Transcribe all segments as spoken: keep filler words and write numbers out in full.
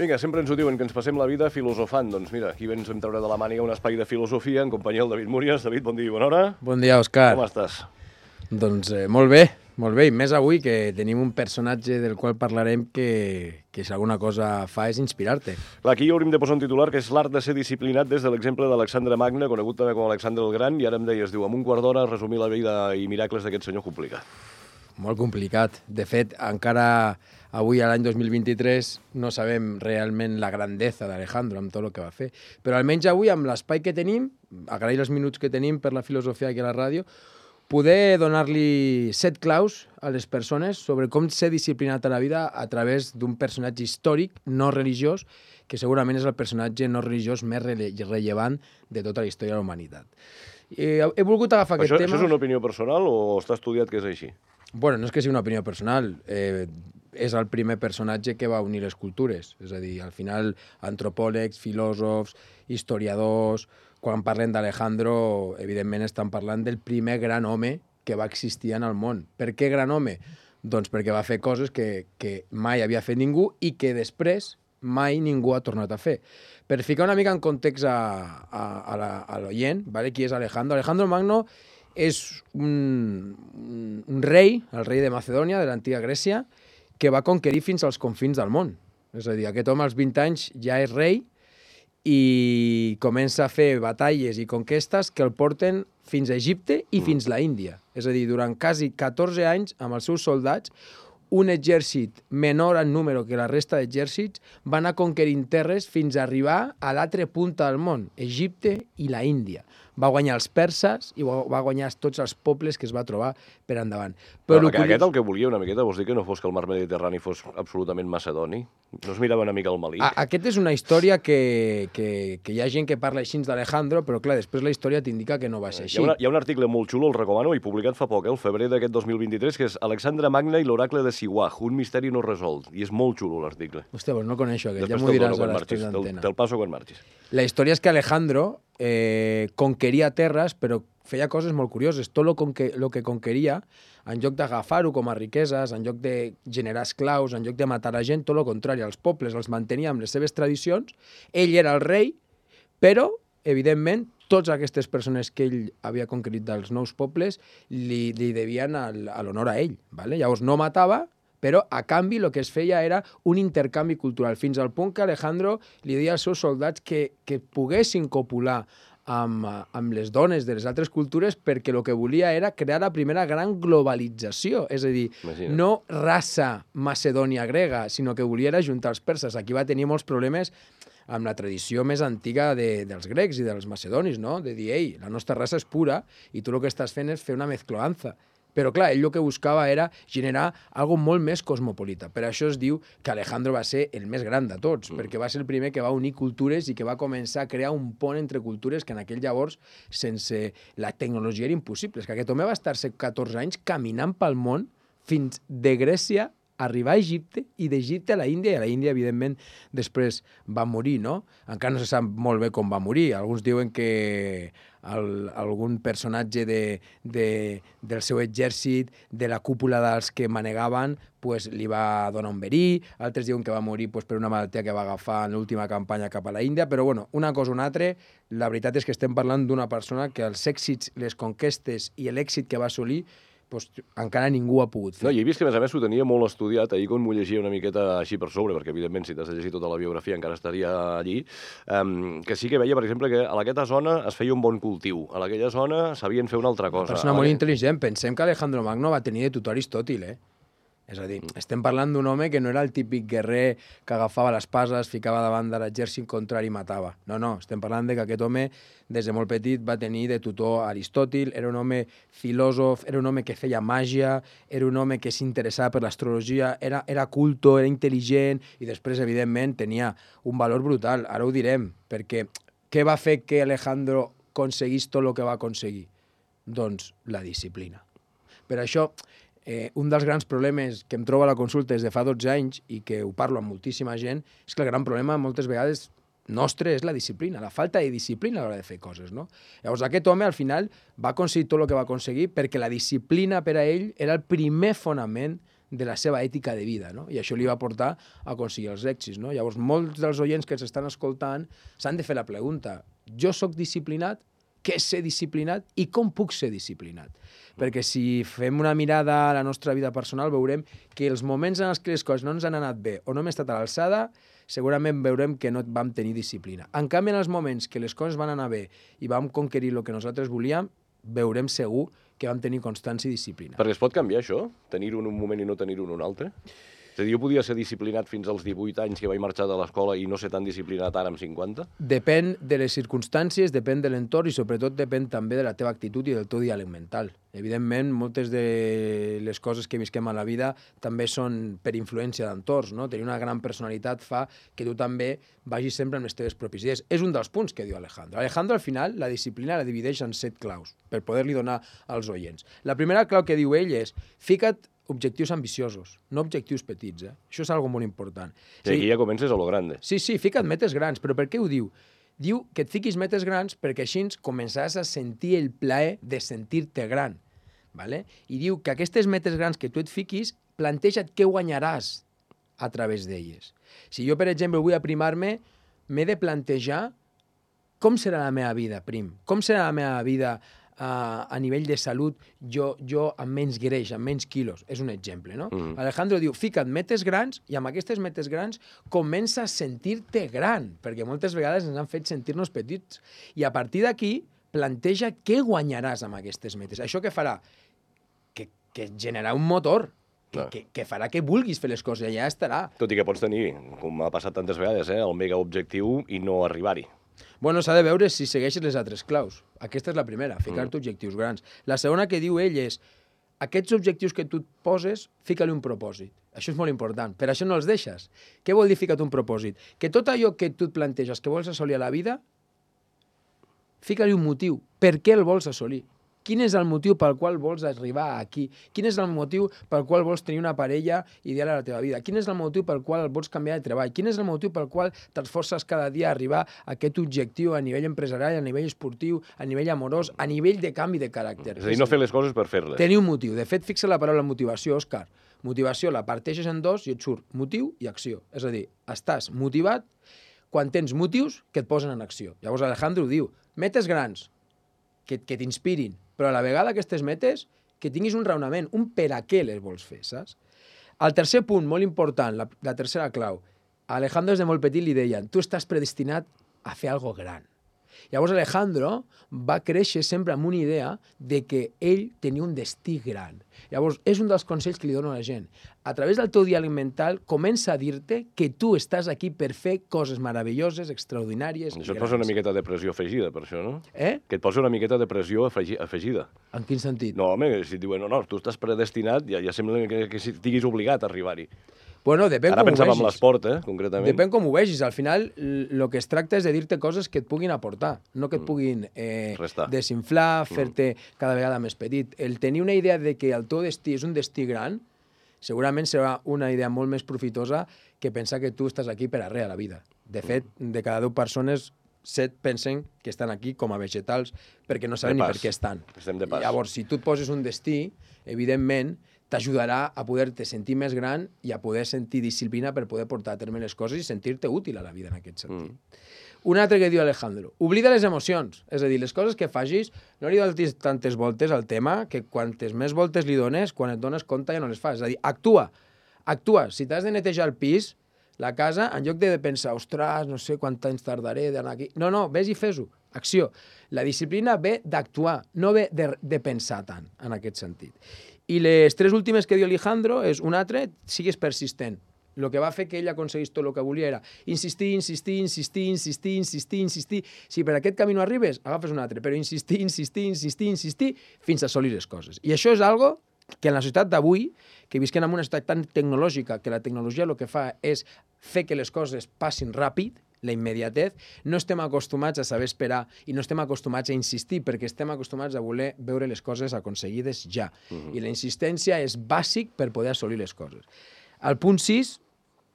Vinga, sempre ens ho diuen, que ens passem la vida filosofant. Doncs mira, aquí ens vam treure de la màniga un espai de filosofia en companyia del David Múries. David, bon dia i bona hora. Bon dia, Òscar. Com estàs? Doncs eh, molt bé, molt bé. I més avui que tenim un personatge del qual parlarem que, que si alguna cosa fa és inspirar-te. Clar, aquí hauríem de posar un titular que és l'art de ser disciplinat des de l'exemple d'Alexandre Magne, conegut també com Alexandre el Gran, i ara em deies, diu, amb un quart d'hora resumir la vida i miracles d'aquest senyor complicat. Molt complicat. De fet, encara avui, a l'any dos mil vint-i-tres, no sabem realment la grandesa d'Alejandro amb tot el que va fer. Però almenys avui, amb l'espai que tenim, agrair els minuts que tenim per la filosofia aquí a la ràdio, poder donar-li set claus a les persones sobre com ser disciplinat a la vida a través d'un personatge històric, no religiós, que segurament és el personatge no religiós més rele rellevant de tota la història de la humanitat. He, he volgut agafar Això, aquest tema... Això és una opinió personal o està estudiat que és així? Bueno, no és que sigui una opinió personal, eh, és el primer personatge que va unir les cultures. És a dir, al final, antropòlegs, filòsofs, historiadors, quan parlen d'Alejandro, evidentment estan parlant del primer gran home que va existir en el món. Per què gran home? Doncs perquè va fer coses que, que mai havia fet ningú i que després mai ningú ha tornat a fer. Per ficar una mica en context a, a, a l'oient, ¿vale? Qui és Alejandro? Alejandro Magno és un, un, un rei, el rei de Macedònia, de l'antiga Grècia, que va conquerir fins als confins del món. És a dir, aquest home als vint anys ja és rei i comença a fer batalles i conquestes que el porten fins a Egipte i fins a l'Índia. És a dir, durant quasi catorze anys, amb els seus soldats, un exèrcit menor en número que la resta d'exèrcits va anar conquerint terres fins a arribar a l'altra punta del món, Egipte i la Índia. Va guanyar els perses i va guanyar tots els pobles que es va trobar per endavant. Però Però aquest el que volia una miqueta, vols dir que no fos que el mar Mediterrani fos absolutament macedoni? No es mirava una mica el malic? A Aquest és una història que, que, que hi ha gent que parla així d'Alejandro, però clar, després la història t'indica que no va ser així. Hi ha, una, hi ha un article molt xulo, el recomano, i publicat fa poc, eh, el febrer d'aquest dos mil vint-i-tres, que és Alexandre Magne i l'oracle de Siwah, un misteri no resolt. I és molt xulo l'article. Hòstia, doncs no coneixo aquest, després ja m'ho diràs a després d'antena. Te'l passo quan marxis. La història és que Alejandro eh, conqueria terres, però feia coses molt curioses. Tot el que, lo que conqueria, en lloc d'agafar-ho com a riqueses, en lloc de generar esclaus, en lloc de matar la gent, tot el contrari, els pobles els mantenia amb les seves tradicions, ell era el rei, però, evidentment, totes aquestes persones que ell havia conquerit dels nous pobles li, li devien a l'honor a ell. ¿Vale? Llavors no matava, però a canvi el que es feia era un intercanvi cultural, fins al punt que Alejandro li deia als seus soldats que, que poguessin copular amb, amb les dones de les altres cultures perquè el que volia era crear la primera gran globalització, és a dir, Imagina. no raça macedònia-grega, sinó que volia era juntar els perses. Aquí va tenir molts problemes amb la tradició més antiga de, dels grecs i dels macedonis, no? De dir, ei, la nostra raça és pura i tu el que estàs fent és fer una mezcloanza. Però, clar, ell el que buscava era generar algo molt més cosmopolita. Per això es diu que Alejandro va ser el més gran de tots, mm. perquè va ser el primer que va unir cultures i que va començar a crear un pont entre cultures que en aquell llavors, sense la tecnologia, era impossible. És que aquest home va estar-se catorze anys caminant pel món fins de Grècia arribar a Egipte i d'Egipte a la Índia, i a la Índia, evidentment, després va morir, no? Encara no se sap molt bé com va morir. Alguns diuen que el, algun personatge de, de, del seu exèrcit, de la cúpula dels que manegaven, pues, li va donar un verí, altres diuen que va morir pues, per una malaltia que va agafar en l'última campanya cap a la Índia, però bueno, una cosa o una altra, la veritat és que estem parlant d'una persona que els èxits, les conquestes i l'èxit que va assolir pues, encara ningú ha pogut fer. No, i he vist que, a més a més, ho tenia molt estudiat. Ahir, quan m'ho llegia una miqueta així per sobre, perquè, evidentment, si t'has de llegir tota la biografia encara estaria allí, um, que sí que veia, per exemple, que a aquesta zona es feia un bon cultiu. A aquella zona sabien fer una altra cosa. Una persona molt intel·ligent. Pensem que Alejandro Magno va tenir de tutor Aristòtil, eh? És a dir, estem parlant d'un home que no era el típic guerrer que agafava l'espasa, es ficava davant de l'exèrcit contrari i matava. No, no, estem parlant de que aquest home, des de molt petit, va tenir de tutor Aristòtil, era un home filòsof, era un home que feia màgia, era un home que s'interessava per l'astrologia, era, era culto, era intel·ligent, i després, evidentment, tenia un valor brutal. Ara ho direm, perquè què va fer que Alejandro aconseguís tot el que va aconseguir? Doncs la disciplina. Per això, Eh, un dels grans problemes que em trobo a la consulta des de fa dotze anys i que ho parlo amb moltíssima gent és que el gran problema moltes vegades nostre és la disciplina, la falta de disciplina a l'hora de fer coses, no? Llavors aquest home al final va aconseguir tot el que va aconseguir perquè la disciplina per a ell era el primer fonament de la seva ètica de vida, no? I això li va portar a aconseguir els èxits, no? Llavors, molts dels oients que s'estan escoltant s'han de fer la pregunta: jo sóc disciplinat? Què és ser disciplinat i com puc ser disciplinat? Perquè si fem una mirada a la nostra vida personal veurem que els moments en els que les coses no ens han anat bé o no hem estat a l'alçada, segurament veurem que no vam tenir disciplina. En canvi, en els moments que les coses van anar bé i vam conquerir el que nosaltres volíem, veurem segur que vam tenir constància i disciplina. Perquè es pot canviar això? Tenir-ho en un moment i no tenir-ho en un altre? És a dir, jo podia ser disciplinat fins als divuit anys que vaig marxar de l'escola i no ser tan disciplinat ara amb cinquanta? Depèn de les circumstàncies, depèn de l'entorn i sobretot depèn també de la teva actitud i del teu diàleg mental. Evidentment, moltes de les coses que visquem a la vida també són per influència d'entorns, no? Tenir una gran personalitat fa que tu també vagis sempre amb les teves pròpies idees. És un dels punts que diu Alejandro. Alejandro, al final, la disciplina la divideix en set claus per poder-li donar als oients. La primera clau que diu ell és: fica't objectius ambiciosos, no objectius petits. Eh? Això és algo molt important. I aquí ja comences a lo grande. Sí, sí, fica't metes grans, però per què ho diu? Diu que et fiquis metes grans perquè així començaràs a sentir el plaer de sentir-te gran. Vale? I diu que aquestes metes grans que tu et fiquis, planteja't què guanyaràs a través d'elles. Si jo, per exemple, vull aprimar-me, m'he de plantejar com serà la meva vida, prim. Com serà la meva vida Uh, a nivell de salut, jo, jo amb menys greix, amb menys quilos. És un exemple, no? Mm. Alejandro diu, fica't metes grans i amb aquestes metes grans comença a sentir-te gran, perquè moltes vegades ens han fet sentir-nos petits. I a partir d'aquí, planteja què guanyaràs amb aquestes metes. Això què farà? Que, que generarà un motor, que, que, que farà que vulguis fer les coses, i ja estarà. Tot i que pots tenir, com ha passat tantes vegades, eh, el mega objectiu i no arribar-hi. Bueno, s'ha de veure si segueixes les altres claus. Aquesta és la primera, ficar-te mm. objectius grans. La segona que diu ell és: aquests objectius que tu et poses, fica-li un propòsit. Això és molt important. Per això no els deixes. Què vol dir fica't un propòsit? Que tot allò que tu et planteges que vols assolir a la vida, fica-li un motiu. Per què el vols assolir? Quin és el motiu pel qual vols arribar aquí? Quin és el motiu pel qual vols tenir una parella ideal a la teva vida? Quin és el motiu pel qual vols canviar de treball? Quin és el motiu pel qual t'esforces cada dia a arribar a aquest objectiu a nivell empresarial, a nivell esportiu, a nivell amorós, a nivell de canvi de caràcter? És a dir, no fer les coses per fer-les. Tenir un motiu. De fet, fixa la paraula motivació, Òscar. Motivació la parteixes en dos i et surt motiu i acció. És a dir, estàs motivat quan tens motius que et posen en acció. Llavors Alejandro diu, metes grans, que, que t'inspirin, però a la vegada aquestes metes, que tinguis un raonament, un per a què les vols fer, saps? El tercer punt, molt important, la, la tercera clau, a Alejandro des de molt petit li deien, tu estàs predestinat a fer algo gran. Llavors Alejandro va créixer sempre amb una idea de que ell tenia un destí gran. Llavors, és un dels consells que li dono a la gent. A través del teu diàleg mental, comença a dir-te que tu estàs aquí per fer coses meravelloses, extraordinàries i Això et grans. posa una miqueta de pressió afegida, per això, no? Eh? Que et posa una miqueta de pressió afegi afegida. En quin sentit? No, home, si et diuen, no, no, tu estàs predestinat, ja, ja sembla que, que estiguis obligat a arribar-hi. Bueno, depèn Ara com ho pensava en vegis. l'esport, eh, concretament. Depèn com ho vegis. Al final, el que es tracta és de dir-te coses que et puguin aportar, no que et puguin eh, Restar. desinflar, fer-te cada vegada més petit. El tenir una idea de que el teu destí és un destí gran, segurament serà una idea molt més profitosa que pensar que tu estàs aquí per a res a la vida. De fet, de cada deu persones, set pensen que estan aquí com a vegetals perquè no saben ni per què estan. Estem de pas. Llavors, si tu et poses un destí, evidentment, t'ajudarà a poder-te sentir més gran i a poder sentir disciplina per poder portar a terme les coses i sentir-te útil a la vida en aquest sentit. Mm. Un altre que diu Alejandro, oblida les emocions, és a dir, les coses que facis, no li donis tantes voltes al tema que quantes més voltes li dones, quan et dones compte ja no les fas. És a dir, actua, actua. Si t'has de netejar el pis, la casa, en lloc de pensar, ostres, no sé quant temps tardaré d'anar aquí... No, no, vés i fes-ho. Acció. La disciplina ve d'actuar, no ve de, de pensar tant, en aquest sentit. I les tres últimes que diu Alejandro és, un altre, sigues persistent. El que va fer que ell aconseguís tot el que volia era insistir, insistir, insistir, insistir, insistir, insistir. Si per aquest camí no arribes, agafes un altre, però insistir, insistir, insistir, insistir, fins a assolir les coses. I això és algo que en la societat d'avui, que visquem en una societat tan tecnològica, que la tecnologia el que fa és fer que les coses passin ràpid, la immediatez, no estem acostumats a saber esperar i no estem acostumats a insistir perquè estem acostumats a voler veure les coses aconseguides ja. Uh-huh. I la insistència és bàsic per poder assolir les coses. El punt sis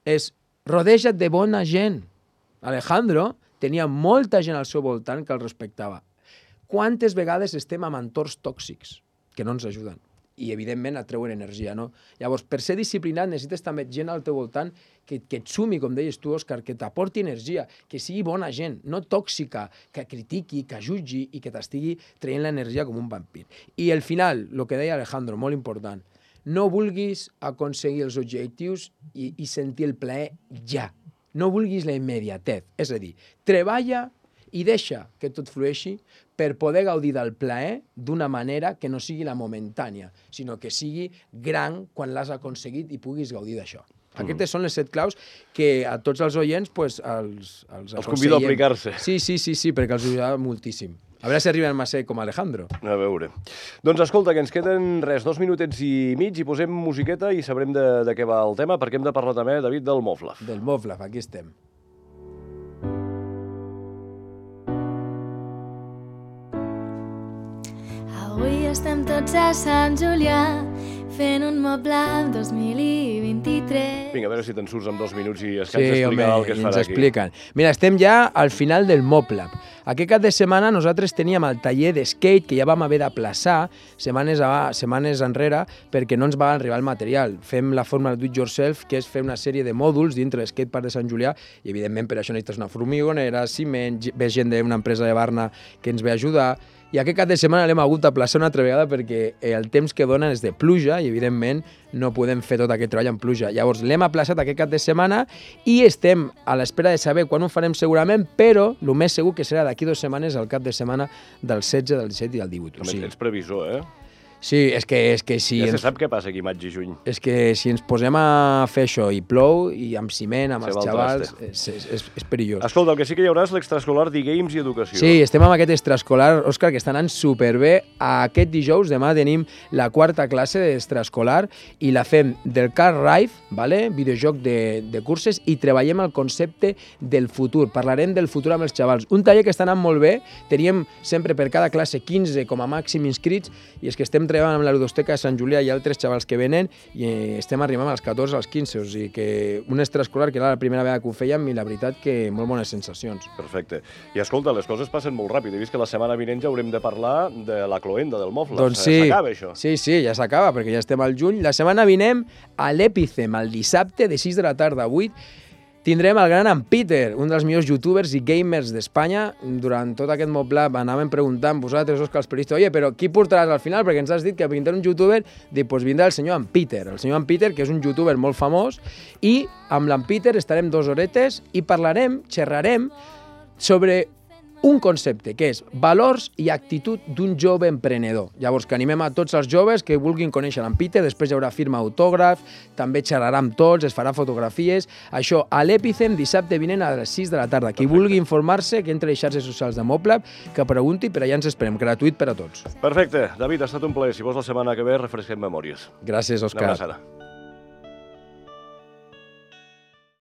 és rodeja't de bona gent. Alejandro tenia molta gent al seu voltant que el respectava. Quantes vegades estem amb entorns tòxics que no ens ajuden? i evidentment et treuen energia, no? Llavors, per ser disciplinat necessites també gent al teu voltant que, que et sumi, com deies tu, Òscar, que t'aporti energia, que sigui bona gent, no tòxica, que critiqui, que jutgi i que t'estigui traient l'energia com un vampir. I al final, el que deia Alejandro, molt important, no vulguis aconseguir els objectius i, i sentir el plaer ja. No vulguis la immediatez. És a dir, treballa i deixa que tot flueixi per poder gaudir del plaer d'una manera que no sigui la momentània, sinó que sigui gran quan l'has aconseguit i puguis gaudir d'això. Mm. Aquestes són les set claus que a tots els oients pues, els, els, els convido a aplicar-se. Sí, sí, sí, sí, perquè els ajudarà moltíssim. A veure si arriben a ser com Alejandro. A veure. Doncs escolta, que ens queden res, dos minutets i mig i posem musiqueta i sabrem de, de què va el tema, perquè hem de parlar també, David, del Moflaf. Del Moflaf, aquí estem. Avui estem tots a Sant Julià fent un Moblab dos mil vint-i-tres. Vinga, a veure si te'n surts en dos minuts i es Sí, cansa explicar home, el que es ens farà aquí. expliquen. Mira, estem ja al final del Moblab. Aquest cap de setmana nosaltres teníem el taller de skate que ja vam haver d'aplaçar setmanes, a, setmanes enrere perquè no ens va arribar el material. Fem la forma do it yourself, que és fer una sèrie de mòduls dintre de l'skatepark de Sant Julià i, evidentment, per això necessites una formigonera, ciment, ve gent d'una empresa de Barna que ens ve a ajudar. I aquest cap de setmana l'hem hagut d'aplaçar una altra vegada perquè el temps que donen és de pluja i, evidentment, no podem fer tot aquest treball en pluja. Llavors, l'hem aplaçat aquest cap de setmana i estem a l'espera de saber quan ho farem segurament, però el més segur que serà d'aquí dues setmanes, al cap de setmana del setze, del disset i del divuit. També ets previsor, eh? Sí, és que, és que si... Ja se ens... sap què passa aquí maig i juny. És que si ens posem a fer això i plou, i amb ciment, amb Se els va el xavals, traste. és, és, és, és perillós. Escolta, el que sí que hi haurà és l'extraescolar d'e-games i educació. Sí, estem amb aquest extraescolar, Òscar, que està anant superbé. Aquest dijous, demà, tenim la quarta classe d'extraescolar i la fem del Car Rife, ¿vale? Videojoc de, de curses, i treballem el concepte del futur. Parlarem del futur amb els xavals. Un taller que està anant molt bé. Teníem sempre per cada classe quinze com a màxim inscrits i és que estem treballant amb la ludoteca de Sant Julià i altres xavals que venen i estem arribant als catorze, als quinze, o sigui que un extraescolar que era la primera vegada que ho fèiem i la veritat que molt bones sensacions. Perfecte. I escolta, les coses passen molt ràpid. He vist que la setmana vinent ja haurem de parlar de la cloenda, del Moflaf. Doncs sí, s'acaba això. sí, sí, ja s'acaba perquè ja estem al juny. La setmana vinent a l'Epicem, el dissabte de sis de la tarda a vuit, tindrem el gran en Peter, un dels millors youtubers i gamers d'Espanya. Durant tot aquest Moblab anàvem preguntant vosaltres, Òscar, els periodistes, oye, però qui portaràs al final? Perquè ens has dit que vindrà un youtuber, dic, doncs vindrà el senyor en Peter. El senyor en Peter, que és un youtuber molt famós, i amb l'en Peter estarem dues horetes i parlarem, xerrarem sobre un concepte, que és valors i actitud d'un jove emprenedor. Llavors, que animem a tots els joves que vulguin conèixer l'en Peter, després hi haurà firma autògraf, també xerrarà amb tots, es farà fotografies. Això a l'Epicem, dissabte vinent a les sis de la tarda. Qui Perfecte. vulgui informar-se, que entre a les xarxes socials de Moblab, que pregunti, per allà ens esperem, gratuït per a tots. Perfecte. David, ha estat un plaer. Si vols la setmana que ve, refresquem memòries. Gràcies, Una Òscar. abraçada.